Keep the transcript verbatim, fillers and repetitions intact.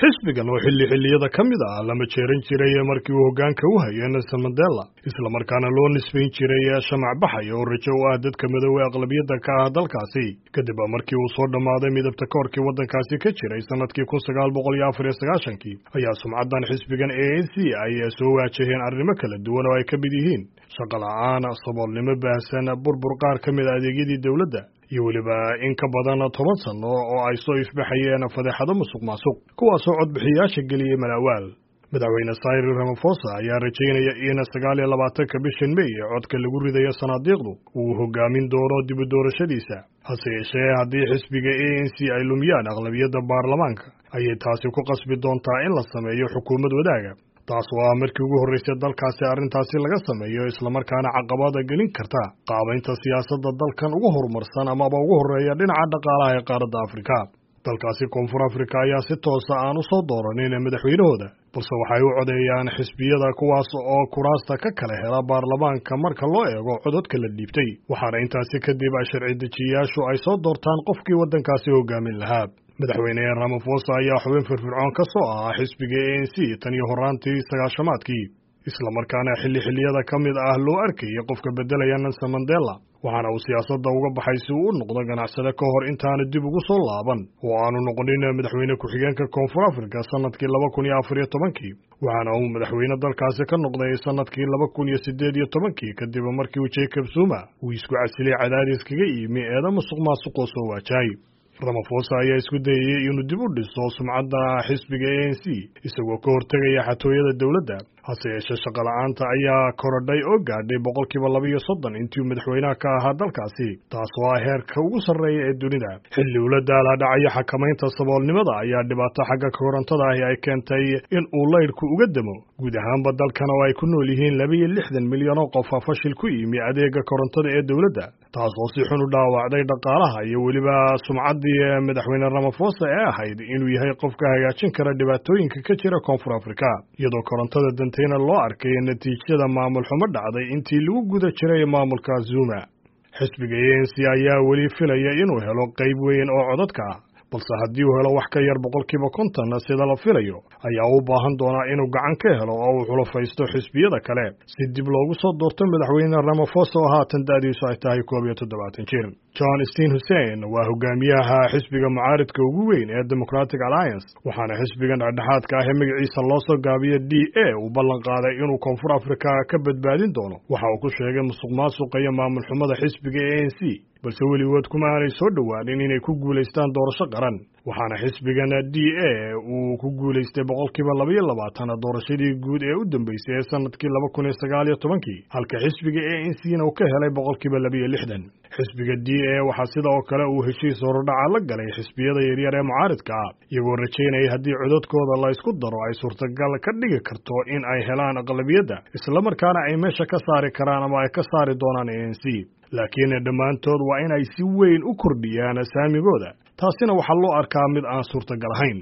Xisbigan oo xilli xilliyada ka mid ah lama jeeran jiray markii uu hoggaanka u hayay Nelson Mandela, islamarkaana loo nisbayn jiray shamac baxay oo rajo u ah dadka madowee aqlabiyadda ka ah dalkaasi, kadib markii uu soo dhammaaday midabta koorkii waddankaasi ka jiray sanadkii kun sagaal boqol iyo afar iyo sagaashankii, ayaa sumcaddan xisbigan A N C ay soo waajaheen arrimo kala duwan oo ay ka mid yihiin shaqo la'aan, saboolnimo baahsan, burbur qaar ka mid a adeegyadii dowladda iyo weliba in ka badan toban sano oo ay soo ifbaxayeen fadeexado musuq maasuq, kuwaasoo codbixiyaasha geliyey malaawaal. Madaxweyne Cyril Ramaphosa ayaa rajaynaya in sagaal iyo labaatanka bishan May ee codka lagu ridayo sanaadiiqdu uu hogaamin doono dib u doorashadiisa. Hase yeeshee, haddii xisbiga A N C ay lumiyaan aqlabiyadda baarlamaanka, ayay taasi ku qasbi doontaa in la sameeyo xukuumad wadaaga, taas oo ah markii ugu horreysay dalkaasi arrintaasi laga sameeyo, islamarkaana caqabada gelin karta qaabaynta siyaasadda dalkan ugu horumarsan amaba ugu horreeya dhinaca dhaqaalaha ee qaaradda Afrika. Dalkaasi Koonfur Afrika ayaa si toosa aan u soo dooranin madaxweynahooda, balse waxay u codeeyaan xisbiyada, kuwaas oo kuraasta ka kala hela baarlamaanka marka loo eego codadka la dhiibtay, waxaana intaasi kadib sharci dejiyayaashu ay soo doortaan qofkii waddankaasi hogaamin lahaa. Madaxweyne Ramaphosa ayaa xubin firfircoon ka soo ahaa xisbiga A N C tan iyo horraantii sagaashamaadkii, islamarkaana xilli xilliyada ka mid ah loo arkayay qofka beddelaya Nelson Mandela, waxaana uu siyaasadda uga baxay si uu u noqdo ganacsade ka hor intaanu dib ugu soo laaban oo aanu noqonin madaxweyne ku-xigeenka Koonfur Afrika sanadkii laba kun iyo afar iyo tobankii, waxaana uu madaxweyne dalkaasi ka noqday sanadkii laba kun iyo siddeed iyo tobankii, kadib markii uu Jacob Zuma uu isku casilay cadaadis kaga yimi eeda musuq maasuqoo soo waajahay. Ramaphosa ayaa isku dayayay inuu dib u dhiso sumcadda xisbiga A N C isagoo ka hortegaya xatooyada dowladda. Hase yeeshee, shaqo la'aanta ayaa korodhay oo gaadhay boqolkiiba laba iyo soddon intii madaxweynaha ka ahaa dalkaasi, taas oo ah heerka ugu sarreeya ee dunida. Xilli ula daalaa dhacaya xakamaynta saboolnimada ayaa dhibaato xagga korontada ahi ay keentay in uu laydhku uga damo guud ahaanba dalkan oo ay ku nool yihiin laba iyo lixdan milyan oo qof fashil ku yimi adeega korontada ee dowladda, taas oo si xun u dhaawacday dhaqaalaha iyo weliba sumcaddii madaxweyne Ramaphosa ee ahayd inuu yahay qofka hagaajin kara dhibaatooyinka ka jira Koonfur Afrika, iyadoo korontada dantayna loo arkay natiijada maamul xumo dhacday intii lagu guda jiray maamulka Zuma. Xisbiga A N C ayaa weli filaya inuu helo qayb weyn oo codadka ah, balse haddii uu helo wax ka yar boqolkiiba konton sida la filayo, ayaa u baahan doonaa inuu gacan ka helo oo uu xulafaysto xisbiyada kale si dib loogu soo doorto madaxweyne Ramaphosa oo haatan da'diisu ay tahay koob iyo toddobaatan jir. John Steenhuisen waa hogaamiyaha xisbiga mucaaridka ugu weyn ee Democratic Alliance, waxaana xisbigan dhexdhexaadka ah ee magaciisa loo soo gaabiyo D A uu ballan qaaday inuu Koonfur Afrika ka badbaadin doono waxa uu ku sheegay musuq maasuqa iyo maamul xumada xisbiga A N C, balse weligood kuma aanay soo dhowaanin inay ku guulaystaan doorasho qaran, waxaana xisbigan D A uu ku guulaystay boqolkiiba laba iyo labaatan doorashadii guud ee u dambeysay ee sanadkii laba kun iyo sagaal iyo tobankii, halka xisbiga A N C na uu ka helay boqolkiiba laba iyo lixdan. Xisbiga D A waxaa sida oo kale uu heshiis horudhaca la galay xisbiyada yaryar ee mucaaridka ah, iyagoo rajaynaya haddii codadkooda la isku daro ay suurtagal ka dhigi karto in ay helaan aqlabiyadda, islamarkaana ay meesha ka saari karaan ama ay ka saari doonaan A N C, laakiin dhammaantood waa in ay si weyn u kordhiyaan saamigooda, taasina waxaa loo arkaa mid aan suurtagal ahayn.